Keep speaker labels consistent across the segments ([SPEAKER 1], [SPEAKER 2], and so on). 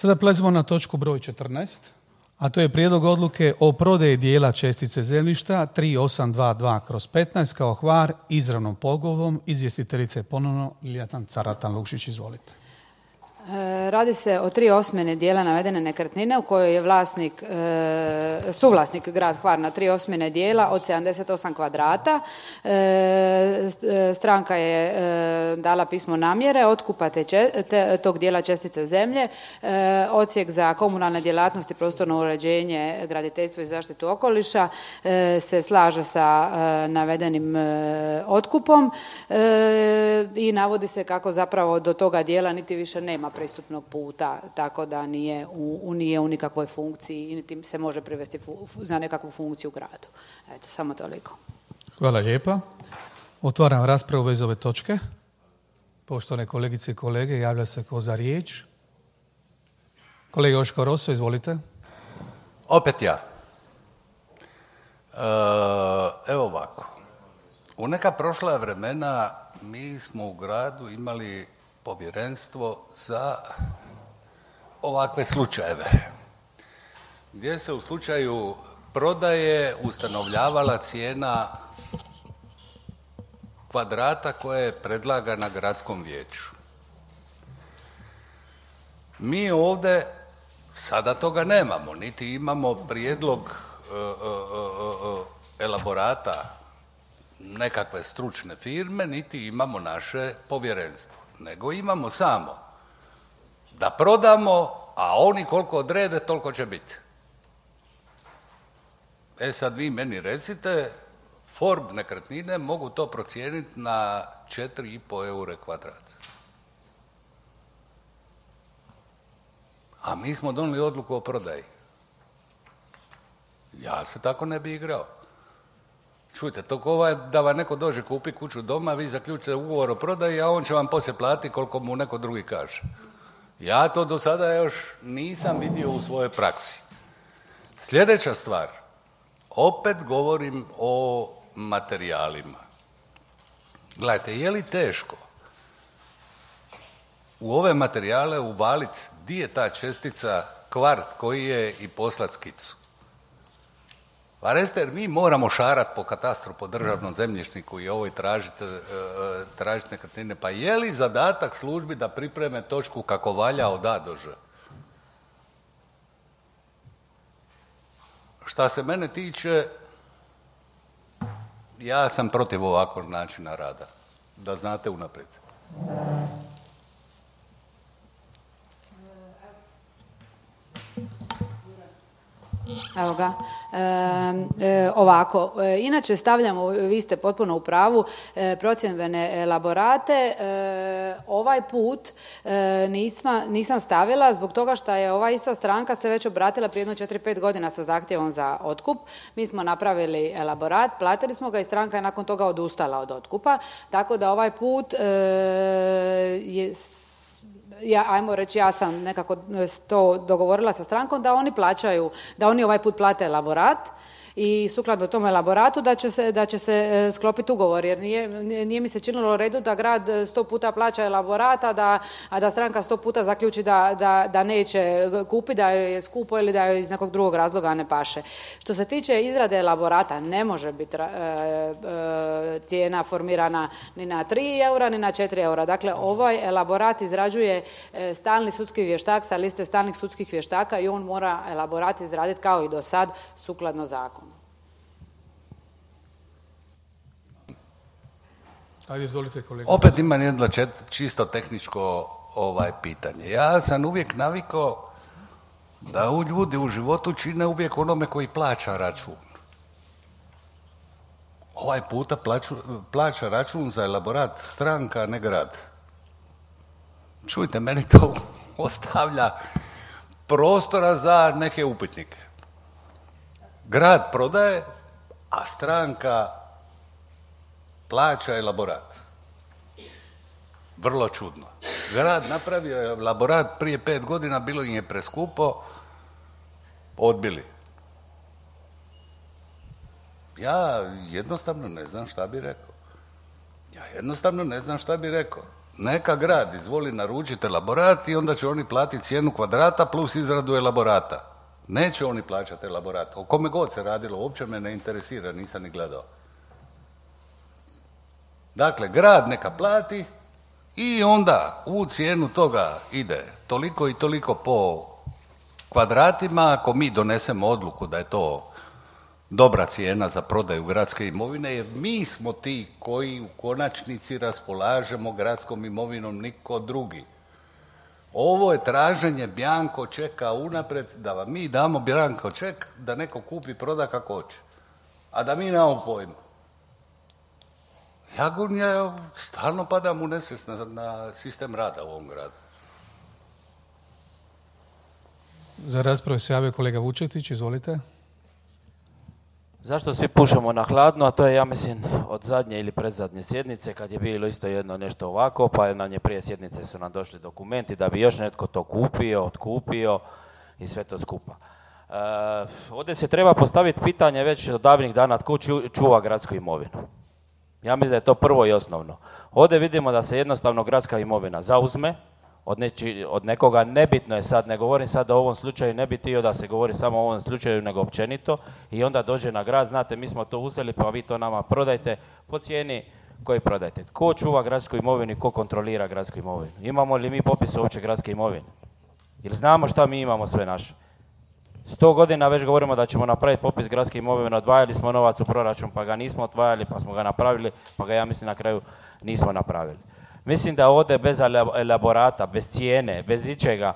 [SPEAKER 1] Sada prelazimo na točku broj 14, a to je prijedlog odluke o prodaji dijela čestice zemljišta 3822/15 kao Hvar izravnom pogodbom. Izvjestiteljica je ponovno Ljiljana Caratan-Lukšić. Izvolite.
[SPEAKER 2] Radi se o 3/8 dijela navedene nekretnine u kojoj je suvlasnik grad Hvar na 3/8 dijela od 78 kvadrata. Stranka je dala pismo namjere otkupa tog dijela čestice zemlje. Odsjek za komunalne djelatnosti, prostorno uređenje, graditeljstvo i zaštitu okoliša se slaže sa navedenim otkupom i navodi se kako zapravo do toga dijela niti više nema pristupnog puta, tako da nije u nikakvoj funkciji i niti se može privesti za nekakvu funkciju u gradu. Eto, samo toliko.
[SPEAKER 1] Hvala lijepa. Otvaram raspravu bez ove točke. Poštovane kolegice i kolege, javlja se ko za riječ. Kolega Joško Roso, izvolite.
[SPEAKER 3] Opet ja. Evo ovako. U neka prošla vremena mi smo u gradu imali povjerenstvo za ovakve slučajeve, gdje se u slučaju prodaje ustanovljavala cijena kvadrata koja je predlagana gradskom vijeću. Mi ovdje sada toga nemamo, niti imamo prijedlog elaborata nekakve stručne firme, niti imamo naše povjerenstvo, nego imamo samo da prodamo, a oni koliko odrede, toliko će biti. Sad vi meni recite, Forb nekretnine mogu to procijeniti na 4,5 eure kvadrat. A mi smo donijeli odluku o prodaji. Ja se tako ne bi igrao. Čujte, to ko da vam neko dođe kupi kuću doma, vi zaključite ugovor o prodaji, a on će vam poslije platiti koliko mu neko drugi kaže. Ja to do sada još nisam vidio u svojoj praksi. Sljedeća stvar, opet govorim o materijalima. Gledajte, je li teško u ove materijale uvaliti di je ta čestica, kvart koji je i poslat skicu? Pa recite, jer mi moramo šarati po katastru, po državnom zemljišniku i ovoj tražiti nekretnine. Pa je li zadatak službi da pripreme točku kako valja od A do Ž? Šta se mene tiče, ja sam protiv ovakvog načina rada. Da znate unaprijed.
[SPEAKER 2] Evo ga. Ovako, inače stavljamo, vi ste potpuno u pravu, procjenbene elaborate. Ovaj put nisam stavila zbog toga što je ova ista stranka se već obratila prije jedno 4-5 godina sa zahtjevom za otkup. Mi smo napravili elaborat, platili smo ga i stranka je nakon toga odustala od otkupa. Tako da ovaj put ajmo reći, ja sam nekako to dogovorila sa strankom da oni ovaj put plate elaborat i sukladno tom elaboratu da će se sklopiti ugovor, jer nije mi se činilo u redu da grad 100 puta plaća elaborat, a da stranka 100 puta zaključi da neće kupiti, da joj je skupo ili da joj iz nekog drugog razloga ne paše. Što se tiče izrade elaborata, ne može biti cijena formirana ni na 3 eura ni na 4 eura. Dakle, ovaj elaborat izrađuje stalni sudski vještak sa liste stalnih sudskih vještaka i on mora elaborat izraditi kao i do sad sukladno zakonu.
[SPEAKER 1] Ajde, izvolite kolega.
[SPEAKER 3] Opet imam jedno čisto tehničko pitanje. Ja sam uvijek navikao da ljudi u životu čine uvijek onome koji plaća račun. Ovaj puta plaća račun za elaborat stranka, a ne grad. Čujte, meni to ostavlja prostora za neke upitnike. Grad prodaje, a stranka plaća elaborat. Vrlo čudno. Grad napravio je elaborat prije 5 godina, bilo im je preskupo, odbili. Ja jednostavno ne znam šta bi rekao. Neka grad izvoli naručiti elaborat i onda će oni platiti cijenu kvadrata plus izradu elaborata. Neće oni plaćati elaborat. O kome god se radilo, uopće me ne interesira, nisam ni gledao. Dakle, grad neka plati i onda u cijenu toga ide toliko i toliko po kvadratima. Ako mi donesemo odluku da je to dobra cijena za prodaju gradske imovine, jer mi smo ti koji u konačnici raspolažemo gradskom imovinom, niko drugi. Ovo je traženje bjanko čeka unaprijed, da vam mi damo bjanko ček da neko kupi, proda kako hoće. A da mi nemamo pojma. Ja stalno padam u nesvijest na sistem rada u ovom gradu.
[SPEAKER 1] Za raspravu se javio kolega Vučetić, izvolite.
[SPEAKER 4] Zašto svi pušemo na hladno, a to je, ja mislim, od zadnje ili predzadnje sjednice, kad je bilo isto jedno nešto ovako, pa na nje prije sjednice su nam došli dokumenti da bi još netko to kupio, otkupio i sve to skupa. Ovdje se treba postaviti pitanje već od davnih dana tko čuva gradsku imovinu. Ja mislim da je to prvo i osnovno. Ovdje vidimo da se jednostavno gradska imovina zauzme od nekoga, nebitno je sad, ne govorim sad o ovom slučaju, ne bi htio da se govori samo o ovom slučaju, nego općenito, i onda dođe na grad, znate, mi smo to uzeli, pa vi to nama prodajte po cijeni koji prodajte. Ko čuva gradsku imovinu i ko kontrolira gradsku imovinu? Imamo li mi popis uopće gradske imovine? Ili znamo šta mi imamo sve naše? 100 godina već govorimo da ćemo napraviti popis gradske imovine, odvajali smo novac u proračun, pa ga nismo odvajali, pa smo ga napravili, pa ga, ja mislim, na kraju nismo napravili. Mislim da ovdje bez elaborata, bez cijene, bez ičega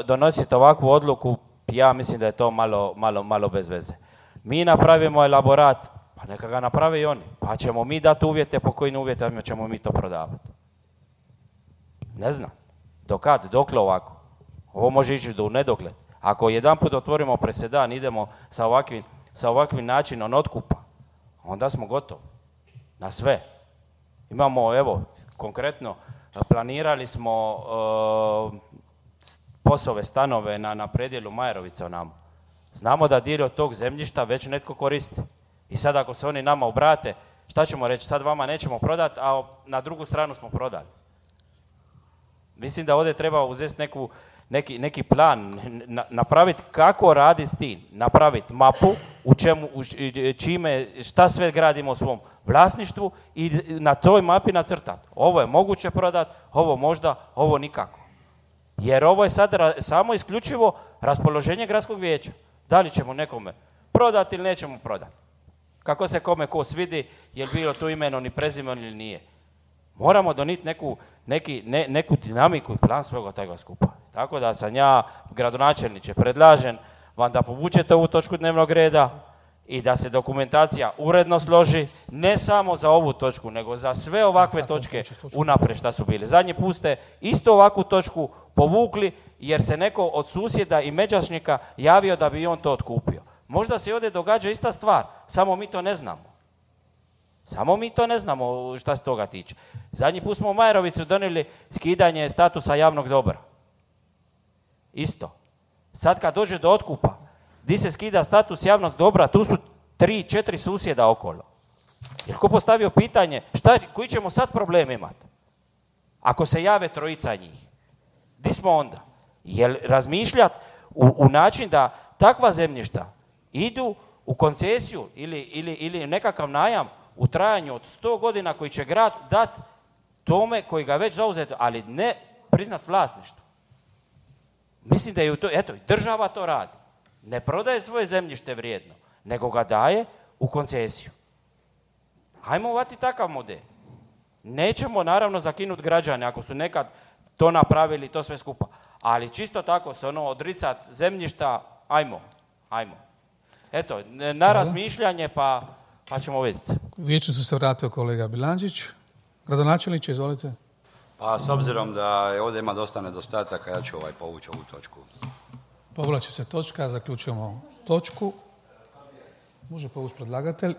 [SPEAKER 4] donositi ovakvu odluku, ja mislim da je to malo bez veze. Mi napravimo elaborat, pa neka ga naprave i oni, pa ćemo mi dati uvjete po kojim uvjetima ćemo mi to prodavati. Ne znam, dokle ovako? Ovo može ići do nedogled. Ako jedanput otvorimo presedan, idemo sa ovakvim načinom otkupa, onda smo gotovi na sve. Imamo, evo, konkretno, planirali smo POS-ove stanove na predjelu Majerovica u nama. Znamo da dio od tog zemljišta već netko koristi. I sad ako se oni nama obrate, šta ćemo reći? Sad vama nećemo prodati, a na drugu stranu smo prodali. Mislim da ovdje treba uzeti neki plan, napraviti kako radi s tim, napraviti mapu šta sve gradimo u svom vlasništvu i na toj mapi nacrtati. Ovo je moguće prodati, ovo možda, ovo nikako. Jer ovo je sad samo isključivo raspoloženje gradskog vijeća. Da li ćemo nekome prodati ili nećemo prodati. Kako se kome ko svidi, je li bilo tu imeno ni prezimeno ili nije. Moramo donijeti neku dinamiku i plan svega toga skupa. Tako da sam ja, gradonačelniče, predlažem vam da povučete ovu točku dnevnog reda i da se dokumentacija uredno složi, ne samo za ovu točku, nego za sve ovakve točke unaprijed šta su bili. Zadnji put ste isto ovakvu točku povukli jer se neko od susjeda i međašnika javio da bi on to otkupio. Možda se ovdje događa ista stvar, samo mi to ne znamo. Samo mi to ne znamo šta se toga tiče. Zadnji put smo u Majerovicu donijeli skidanje statusa javnog dobra. Isto. Sad kad dođe do otkupa, di se skida status javnog dobra, tu su 3-4 susjeda okolo. Jer ko postavio pitanje, koji ćemo sad problem imati? Ako se jave trojica njih. Di smo onda? Jel razmišljati u način da takva zemljišta idu u koncesiju ili nekakav najam u trajanju od 100 godina koji će grad dati tome koji ga već zauzeto, ali ne priznat vlasništvo. Mislim da je država to radi. Ne prodaje svoje zemljište vrijedno, nego ga daje u koncesiju. Hajmo uvati takav model. Nećemo naravno zakinuti građane ako su nekad to napravili, to sve skupa. Ali čisto tako se odricat zemljišta, ajmo. Eto, na razmišljanje pa ćemo vidjeti.
[SPEAKER 1] Vijeću se vratio kolega Bilandžić. Gradonačelniče, izvolite.
[SPEAKER 5] Pa s obzirom da ovdje ima dosta nedostataka, ja ću povući ovu točku.
[SPEAKER 1] Povlači se točka, zaključujemo točku. Može povući predlagatelj.